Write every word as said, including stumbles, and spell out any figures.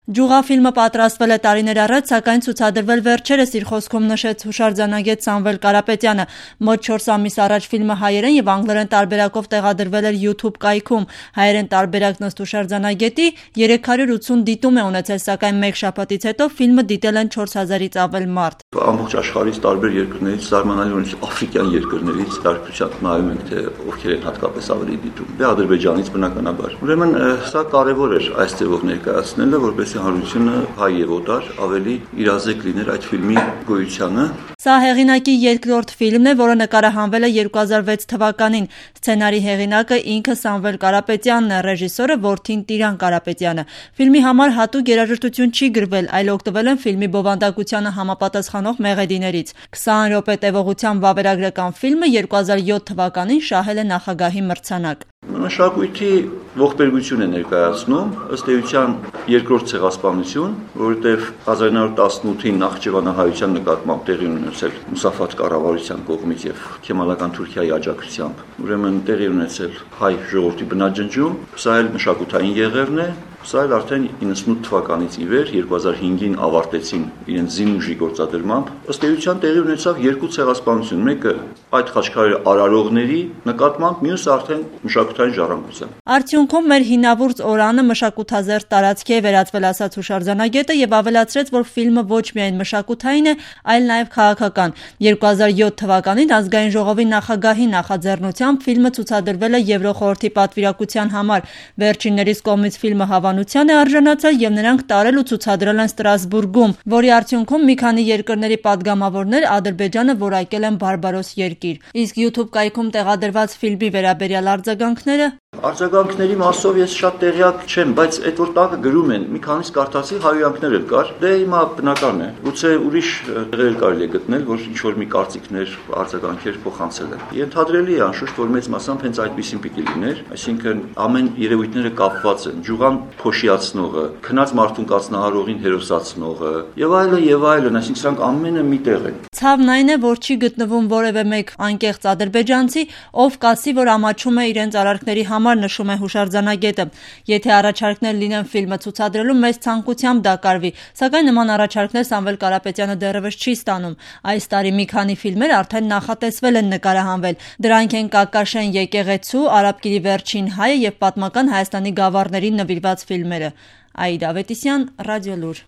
Ջուղա ֆիլմը պատրաստվել է տարիներ առաջ, սակայն ցուցադրվել վերջերս, իր խոսքում նշեց հուշարձանագետ Սամվել Կարապետյանը։ Մոտ չորս ամիս առաջ ֆիլմը հայերեն եւ անգլերեն տարբերակով տեղադրվել էր YouTube կայքում։ Հայերեն տարբերակն ըստ հուշարձանագետի երեք հարյուր ութսուն դիտում է ունեցել, սակայն մեկ շաբաթից հետո ֆիլմը դիտել են չորս հազարից ավել մարդ։ Ամբողջ աշխարհից տարբեր երկրներից, զարմանալի աֆրիկյան երկրներից տարբերությամբ նայում ենք, թե ովքեր են հատկապես ավելի դիտում։ Դե Ադրբեջանից բնականաբար։ Ուրեմն սա կարևոր էր այս ձևով ներկայացնելը, որպեսզի հանրությունը հայ եւ օտար ավելի իրազեկ լիներ այդ ֆիլմի գոյությանը։ Սա հեղինակի երկրորդ ֆիլմն է, որը նկարահանվել է երկու հազար վեց թվականին։ Սցենարի հեղինակը ինքը Սամվել Կարապետյանն է, ռեժիսորը որդին Տիրան Կարապետյանը։ Ֆիլմի համար հատուկ երաժշտություն չի գրվել, այլ օգտվել են ֆիլմի բովանդակությանը համապատասխանող մեղեդիներից։ քսան րոպե տևողությամբ վավերագրական ֆիլմը երկու հազար յոթ թվականին շահել է նախագահի մրցանակ։ Մշակույթի ողբերգություն է ներկայացնում, ըստ էության երկրորդ ցեղասպանություն, որովհետև հազար նույնսուն տասնութին Նախճեվանահայության նկատմամբ տեղի ունեցել Մուսաֆաթ կառավարության կողմից եւ Քեմալական Թուրքիայի աջակցությամբ։ Ուրեմն տեղի ունեցել հայ ժողովրդի բնաջնջում, սա էլ մշակութային եղերն է։ Սա էլ արդեն իննսունութ թվականից ի վեր երկու հազար հինգին ավարտեցին իրենց զինուժի գործադրմամբ։ Ըստ էության տեղի ունեցավ երկու ցեղասպանություն, մեկը այդ խաչքարերի արարողների նկատմամբ, մյուսը արդեն մշակութային ժառանգության։ Արդյունքում մեր հինավուրց օրանը մշակութազերծ տարածքի է վերածվել, ասաց հուշարձանագետը եւ ավելացրեց, որ ֆիլմը ոչ միայն մշակութային է, այլ նաեւ քաղաքական։ երկու հազար յոթ թվականին ազգային ժողովի նախագահի նախաձեռնությամբ ֆիլմը ցուցադրվել է Եվրոխորհրդի պատվիրակության համար։ Վերջիններիս կողմից ֆիլմը հավանության է արժանացել եւ նրանք տարել ու ցուցադրել են Ստրասբուրգում, որի արդյունքում մի քանի երկրների падգամավորներ Ադրբեջանը որակել են բարբարոս երկիր։ Իսկ YouTube կայքում տեղադրված ֆիլմի վերաբերյալ արձագանքները Արձագանքների մասով ես շատ տեղյակ չեմ, բայց այդ որ տակը գրում են, մի քանիս կարդացի հայհոյանքներ էլ կար։ Դե հիմա բնական է։ Գուցե ուրիշ տեղեր կարելի է գտնել, որ ինչ որ մի կարծիքներ, արձագանքեր փոխանցել են։ Ենթադրելի է անշուշտ, որ մեծ մասամբ հենց այդպեսին պիտի լիներ, այսինքն ամեն երևույթները կապված են, ջուղան փոշիացնողը, քնած մարդուն կացնահարողին հերոսացնողը եւ այլն եւ այլն, այսինքն սրանք ամենը մի տեղ են։ Ցավն այն է, որ չի գտնվում որևէ մեկ անկեղծ ադրբեջանցի, ով կասի, որ ամաչում է իրենց արարքների համար, նշում է հուշարձանագետը։ Եթե առաջարկներ լինեն ֆիլմը ցուցադրելու, մեծ ցանկությամբ դա կարվի, սակայն նման առաջարկներ Սամվել Կարապետյանը դեռևս չի ստանում։ Այս տարի մի քանի ֆիլմեր արդեն նախատեսվել են նկարահանվել։ Դրանք են Կակաշեն եկեղեցու, Արաբկիրի վերջին հայը եւ պատմական Հայաստանի գավառներին նվիրված ֆիլմերը։ Աիդա Ավետիսյան, Ռադիոլուր։